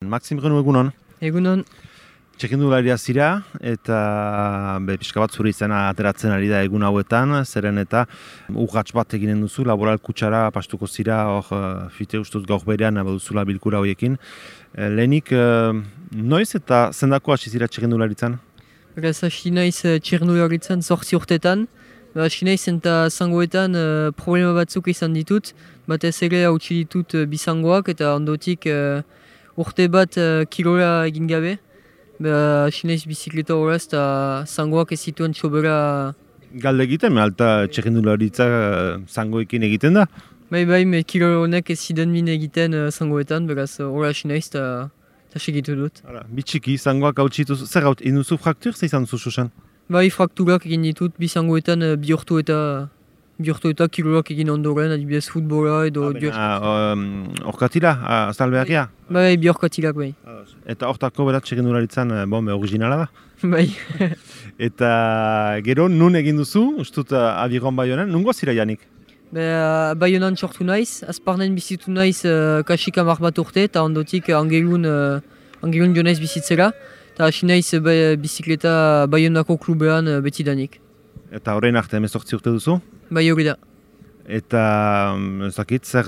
Maxim Renu egunon. Egunon. Txekindularia zira eta pixka bat zure izena ateratzen ari da egun hauetan, zeren eta urrats bat eginen duzu, laboral kutsara pastuko zira, fite ustuz gaur berean baduzula bilkura horiekin. Lehenik, noiz eta zendako hasi zira txekindularitzan? Beraz, hasi naiz txekindularitzan 8 urtetan. Hasi naiz eta zangoetan problema batzuk izan ditut. Batez ere hautsi ditut bizangoak eta ondotik urte bat kirola egin gabe. Hasi naiz bizikleta horaz eta zangoak ez zituen txobera. Galde egiten, alta txekindularitza zangoekin egiten da? Bai, kirola honek ez zidan min egiten zangoetan, beraz horra hasi naiz eta segitu dut. Bitxiki, zangoak hautsi dituzu, zer hautsi, induzu fraktur, zer izan duzu susen? Bai, frakturak egin ditut, bizangoetan bihurtu eta kirolak egin ondoren, adibidez futbola edo... Horkatila, azalbeakia? Bai, bihorkatilak bai. Eta hortako berat txekindularitzan originala da? Bai. Eta gero, nun egin duzu, ustut Abiron Baionan, nungo zira janik? Baionan sortu naiz, azparnen bizitu naiz kasik 10 bat urte, eta ondotik Angelun jo naiz bizitzera. Eta hasi naiz bizikleta Baionako klubean betidanik. Eta horrein arte 18 urte duzu? Bai, hori da. Eta zakit, zer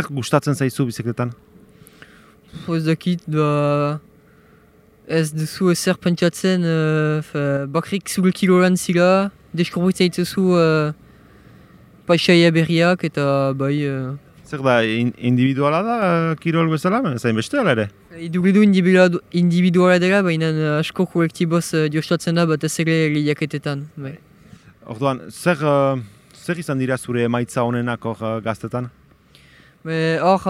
gustatzen zaizu bizikletan? Ez dakit, ez duzu ezer pentsatzen, bakrik zure kiloran zira, deskubritzen zaituzu paisaia berriak eta bai... Zer da, individuala da kirol bezala, zain beste ala ere? Iduridu individuala dela, baina asko kolektiboz diostatzen da batez ere lehiaketetan. Orduan, zer izan dira zure emaitza honenak hor gaztetan? Hor,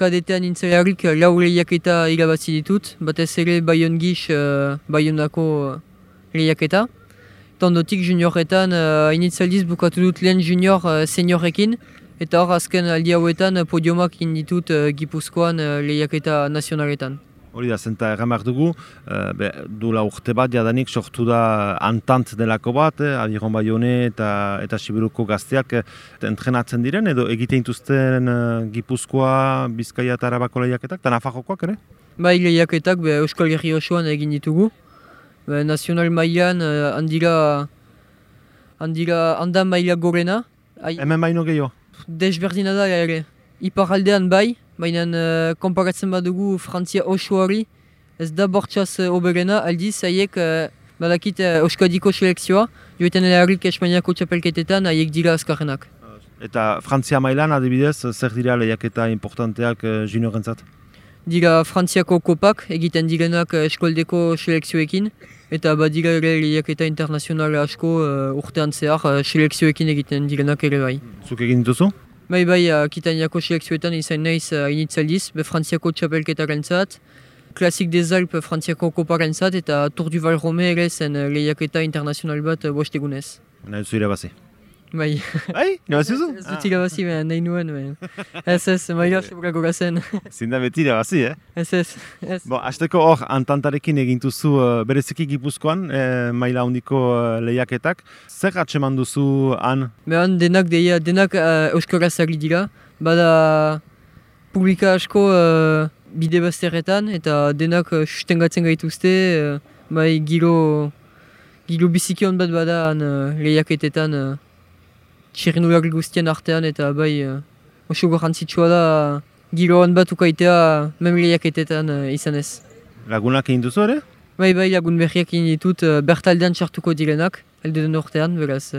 kadetean nintzelarik 4 lehiaketa irabazi ditut, batez ere Baion Gix, Baionako lehiaketa. Ondotik junioretan, initzaldiz bukatu dut lehen junior seniorekin, eta hor azken aldi hauetan podiomak inditut Gipuzkoan lehiaketa nazionaletan. Hori da, zenta erran behar dugu, duela urte bat jadanik sortu da Antant delako bat, Abiron Baione eta Sibiruko gazteak entrenatzen diren, edo egiten dituzten Gipuzkoa, Bizkaia eta Arabako lehiaketak, eta Nafarrokoak ere? Bai, lehiaketak Euskal Herri osoan egin ditugu. Nazional mailan handan maila gorena. Hemen baino gehiago? Desberdina da ere. Iparaldean bai, baina konparatzen badugu Frantzia osoari, ez da bortxaz oberena, aldiz haiek badakit Euskadiko selekzioa, joetan erarik Espainiako txapelketetan haiek dira azkarrenak. Eta Frantzia mailan adibidez, zer dira lehiaketa importanteak juniorentzat? Dira Frantziako kopak egiten direnak eskoldeko selekzioekin, eta badira ere lehiaketa internazional asko urtean zehar selekzioekin egiten direnak ere bai. Zuk egin dituzu? Bai, Akitaniako selekzioetan izan naiz initzaldiz, Frantziako txapelketaren zat, Klasik des Alpes Frantziako koparen zat, eta Tour du Val Rome ere zen lehiaketa internazional bat bostegunez. Nahi duzu irabazi? Bai. Bai? Irabazi duzu? Ez dut irabazi, nahi nuen. Ez, maila sebragoa zen. Zinda beti irabazi, Ez. Hasteko hor, Antantarekin egintuzu bereziki Gipuzkoan, maila handiko lehiaketak. Zer atseman duzu han? Denak euskaraz ari dira. Bada publika asko bide bazterretan, eta denak sustengatzen gaituzte. Bai, giro biziki hon bat bada han lehiaketetan. Txirrinulari guztien artean eta bai oso garrantzitsua da giro hon bat ukaitea lehiaketetan izan ez. Lagunak egin duzu ere? Bai, lagun berriak egin ditut bertaldean txartuko direnak, elde den urtean, beraz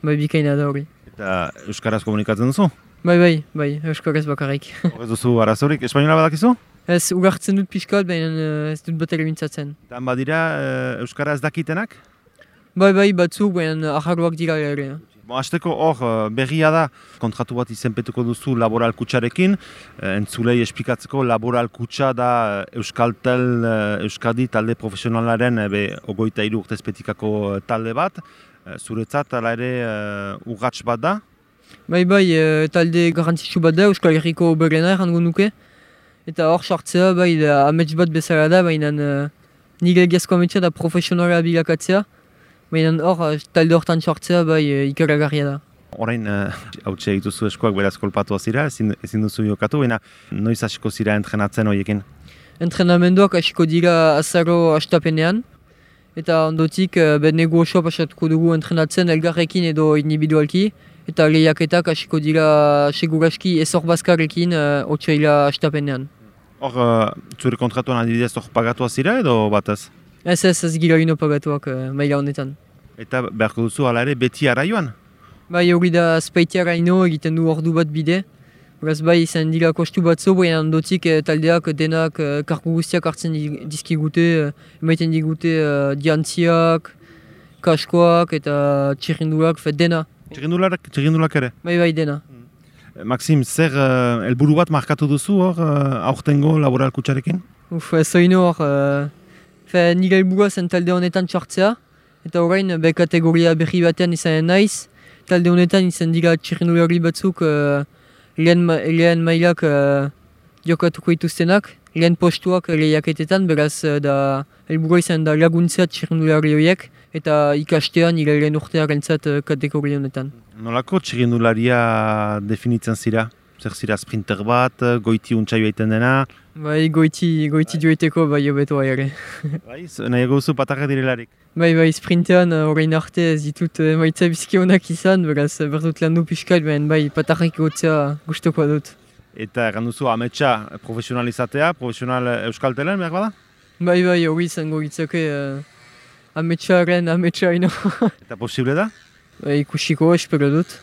bikaina da hori. Eta euskaraz komunikatzen duzu? Bai, euskaraz bakarrik. Horrez duzu arazorik, espainola badakizu? Ez, ugartzen dut pixkat, baina ez dut bat ere mintzatzen. Eta badira euskaraz dakitenak? Bai, batzuk, baina aharroak dira ere. Hasteko hor berria da, kontratu bat izenpetuko duzu laboral kutsarekin, entzulei esplikatzeko laboral kutsa da Euskadi talde profesionalaren 23 urtezpetikako talde bat, zuretzat ala ere urrats bat da? Bai, talde garrantzitsu bat da, Euskal Herriko berena errango nuke, eta hor sartzea amets bat bezala da, baina nire egiazko ametsa da profesionala bilakatzea. Baina hor, talde hortan sortzea ikaragarria da. Orain, hautsia dituzu eskuak beraz kolpatua zira, ezin duzu jokatu, baina noiz hasiko zira entrenatzen horiekin? Entrenamenduak hasiko dira azaro astapenean, eta ondotik negu osoa pasatuko dugu entrenatzen elgarrekin edo individualki, eta lehiaketak hasiko dira seguraski ezor bazkarrekin otsaila astapenean. Hor, zure kontratuan adibidez hor pagatua zira edo batez? Ez gira ino pagatuak maila honetan. Eta beharko duzu hala ere beti araioan? Bai, hori da Spaitiara ino egiten du ordu bat bide. Beraz bai izan dira kostu batzu, baina ondotik taldeak denak kargu guztiak hartzen dizkigute, emaiten digute diantziak, kaskoak eta txirrinduak, dena. Txirrindulak ere? Bai dena. Maxim, zer helburu bat markatu duzu hor aurtengo laboral kutxarekin? Ez oino hor, nire helburua zen talde honetan txartzea, eta orain kategoria berri batean izanen naiz. Talde honetan izan dira txirrindulari batzuk lehen mailak jokatuko dituztenak, lehen postuak lehiaketetan, beraz da helburua izan da laguntzea txirrindulari horiek, eta ikastean nire lehen urtearentzat kategoria honetan. Nolako txirrindularia definitzen zira? Zer zira sprinter bat, goiti untxai baiten dena? Bai, goiti joiteko bai hobeto ere. Bai, nahiago duzu patarra direlarik? Bai, sprintean orain arte ez ditut maitza bizki honak izan, beraz berdut lan du pixkat, bai patarrak egotzea gustoko dut. Eta erran duzu ametsa profesionalizatea, profesional euskaltelen behar bada? Bai, hori izango gitzake ametsa ino. Eta posible da? Ikusiko, espero dut.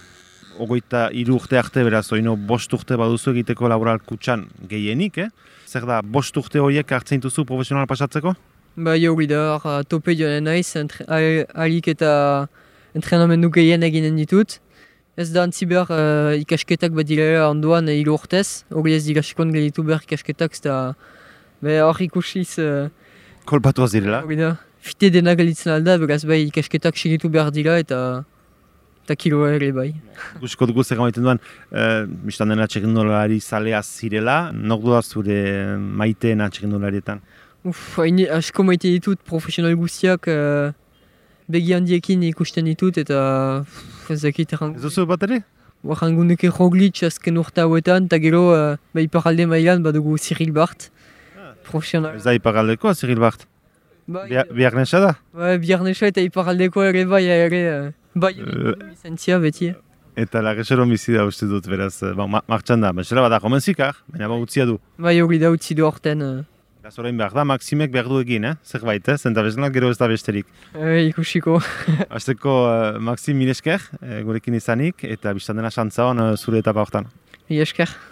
23 urte arte beraz, oino 5 urte baduzu egiteko laboral kutxan gehienik, Zer da, 5 urte horiek hartzen duzu profesional pasatzeko? Bai, hori da, tope joan naiz, alik eta entrenamendu gehien eginen ditut. Ez da antzi behar ikasketak bat direla ondoan 3 urtez, hori ez dira sekon gelditu behar ikasketak, ez da hor ikusiz... Kolpatua zirela? Hori da, fite dena gelditzen alda, beraz bai ikasketak segitu behar dira eta kiloa ere bai. Gusiko dugu zer gamaiten duan, biztan dena txirrindulari zalea zirela, nok da zure maiteena txirrindularietan? Asko maite ditut profesional guztiak begi handiekin ikusten ditut eta ez dakit errangu. Ez duzu bat ere? Errangu nuke Roglic azken urte hauetan, eta gero iparalde mailan badugu Cyril Bart. Profesional. Ez da iparaldeko, Cyril Bart? Biarnesa da? Biarnesa eta iparaldeko ere bai lizentzia beti. Eta lagesero bizi da uste dut beraz, martxan da, bezala bada komenzikar, baina utzia du. Bai hori da utzi du horten. Beraz orain behar da, Maximek behar du egin, zerbait, zenta bezala gero ez da besterik. Ikusiko. Azteko Maxim mil esker, gurekin izanik, eta biztan dena xantza hon zure etapa hortan. Mil esker.